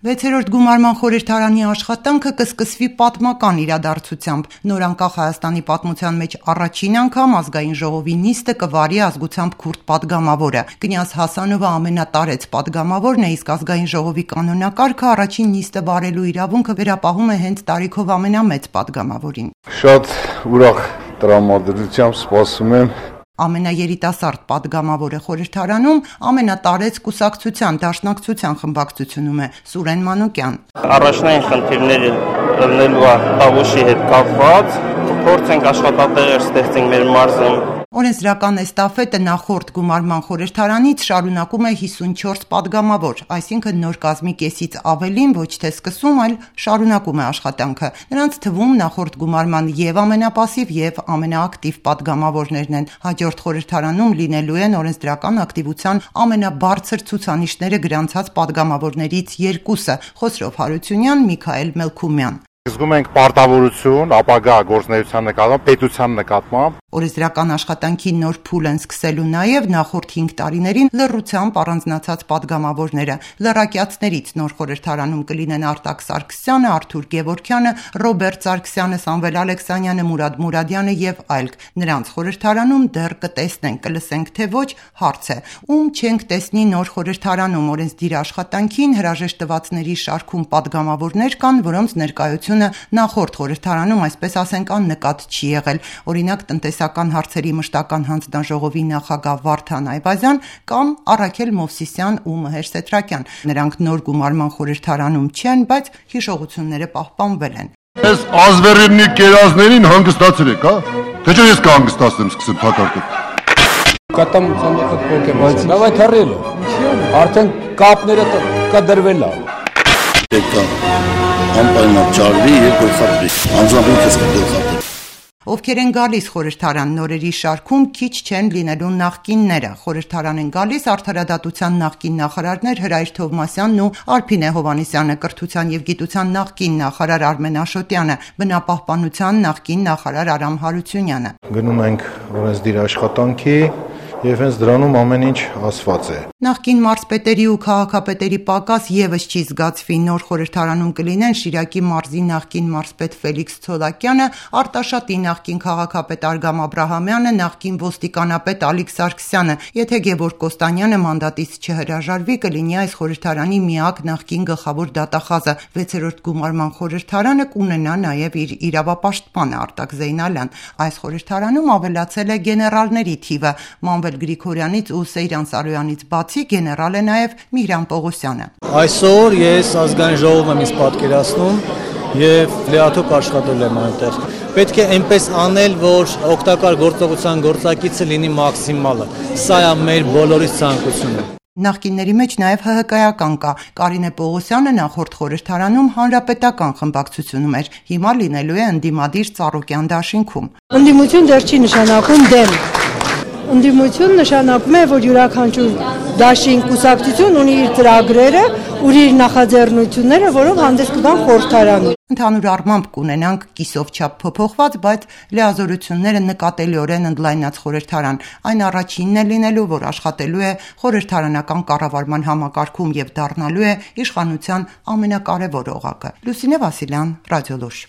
6-րդ գումարման խորհրդարանի աշխատանքը կսկսվի պատմական իրադարձությամբ։ Նորանկախ Հայաստանի պատմության մեջ առաջին անգամ ազգային ժողովի նիստը կվարի ազգությամբ քուրդ պատգամավորը։ Կնյազ Հասանովը ամենատարեց պատգամավորն է, իսկ ազգային ժողովի կանոնակարգը առաջին նիստը վարելու իրավունքը վերապահում է հենց տարիքով ամենամեծ պատգամավորին։ Շատ ուրախ տրամադրությամբ սպասում եմ Ամենաերիտասարդ պատգամավորը խորհրդարանում ամենատարեց կուսակցության դաշնակցության խմբակցությունում է Սուրեն Մանուկյան։ Առաջնային խնդիրները լնելու Տավուշի հետ կապված փորձենք աշխատատեղեր ստեղծենք մեր մարզում։ Օրենսդրական էստաֆետը նախորդ գումարման խորհրդարանից շարունակում է 54 պատգամավոր, այսինքն նոր կազմի կեսից ավելին ոչ թե սկսում, այլ շարունակում է աշխատանքը։ Նրանց թվում նախորդ գումարման եւ ամենապասիվ եւ ամենաակտիվ պատգամավորներն են։ Հաջորդ խորհրդարանում լինելու են օրենսդրական ակտիվության ամենաբարձր ցուցանիշները գրանցած պատգամավորներից երկուսը՝ Խոսրով Հարությունյան, Միքայել Մելքումյան։ Զգում ենք պարտավորություն ապագա գործունեության նկատմամբ, պետության նկատմամբ։ Օրենսդրական աշխատանքի նոր փուլ են սկսելու նաև նախորդ 5 տարիներին լռությամբ առանձնացած պատգամավորները։ Լռակյացներից նոր խորհրդարանում կլինեն Արտակ Սարգսյանը, Արթուր Գևորգյանը, Ռոբերտ Սարգսյանը, Սամվել Ալեքսանյանը, Մուրադ Մուրադյանը եւ այլք։ Նրանց խորհրդարանում դեռ կտեսնենք, կլսենք թե ոչ, հարց է։ Ում չենք տեսնի նոր խորհրդարանում օրենսդիր աշխատանքին հրաժեշտ տվածների շարքում պատգամավորներ կան, որոնց ներկայությունը նախորդ խորհրդարանում, այսպես ասենք, աննկատ չի եղել։ Օրինակ տնտեսական հարցերի մշտական հանձնաժողովի նախագահ Վարդան Այվազյան կամ Առաքել Մովսիսյան ու Մհեր Սեթրակյան։ Նրանք նոր գումարման խորհրդարանում չեն, բայց հիշողությունները պահպանվել են։ Այս ազվերիվնի կերազներին հանգստացել եք, հա? Թե չէ ես կհանգստացնեմ, սկսեմ թակարկել։ Կատամ ցամաքը փոք է, բայց լավ է թռել։ Արդեն կապները կդրվել է։ Պետք է անպայման ճարվի եւ գլխապրի։ Անձամբ ինքս կգլխապրի։ Ովքեր են գալիս խորհրդարան նորերի շարքում քիչ չեն լինելու նախկինները։ Խորհրդարան են գալիս արդարադատության նախկին նախարարներ Հրայր Թովմասյանն ու Արփինե Հովհաննիսյանը, կրթության եւ գիտության նախկին նախարար Արմեն Աշոտյանը, բնապահպանության նախկին նախարար Արամ Հարությունյանը։ Գնում ենք օրենսդիր աշխատանքի եւ հենց դրանում ամեն ինչ ասված է։ Նախկին մարզպետերի ու քաղաքապետերի պակաս եւս չի զգացվի։ Նոր խորհրդարանում կլինեն Շիրակի մարզի նախկին մարզպետ Ֆելիքս Ցոլակյանը, Արտաշատի նախկին քաղաքապետ Արգամ Աբրահամյանը, նախկին ոստիկանապետ Ալիկ Սարգսյանը։ Եթե Գևորգ Կոստանյանը մանդատից չհրաժարվի, կլինի այս խորհրդարանի միակ նախկին գլխավոր դատախազը։ 6-րդ գումարման խորհրդարանը կունենա նաեւ իր իրավապաշտպանը Արտակ Զեյնալյան։ Այս խորհրդարանում ավելացել է գեներալների թիվը։ Մանվել Գրիգորյանից ու Սեյրան Սարոյանից բացի գեներալ է նաև Միհրան Պողոսյանը։ Այսօր ես ազգային ժողովում եմ ինձ պատկերացնում եւ լիաթոք աշխատել եմ այնտեղ։ Պետք է այնպես անել, որ օգտակար գործողության գործակիցը լինի մաքսիմալը։ Սա է մեր բոլորի ցանկությունը։ Նախկինների մեջ նաև ՀՀԿ-ական կա։ Կարինե Պողոսյանը նախորդ խորհրդարանում հանրապետական խմբակցությունում էր։ Հիմա լինելու է ընդդիմադիր Ծառուկյան դաշինքում։ Ընդդիմություն դեռ չի նշանակում դեմ։ Ընդդիմություն նշանակում է, որ յուրաքանչյուր դաշին կուսակցություն ունի իր ծրագրերը, ունի իր նախաձեռնությունները, որով հանդես կգան խորհրդարանում։ Ընդհանուր առմամբ կունենանք կիսով չափ փոփոխված, բայց լիազորությունները նկատելիորեն ընդլայնած խորհրդարան։ Այն առաջինն է լինելու, որ աշխատելու է խորհրդարանական կառավարման համակարգում եւ դառնալու է իշխանության ամենակարևոր օղակը։ Լուսինե Վասիլյան, Ռադիոլուր։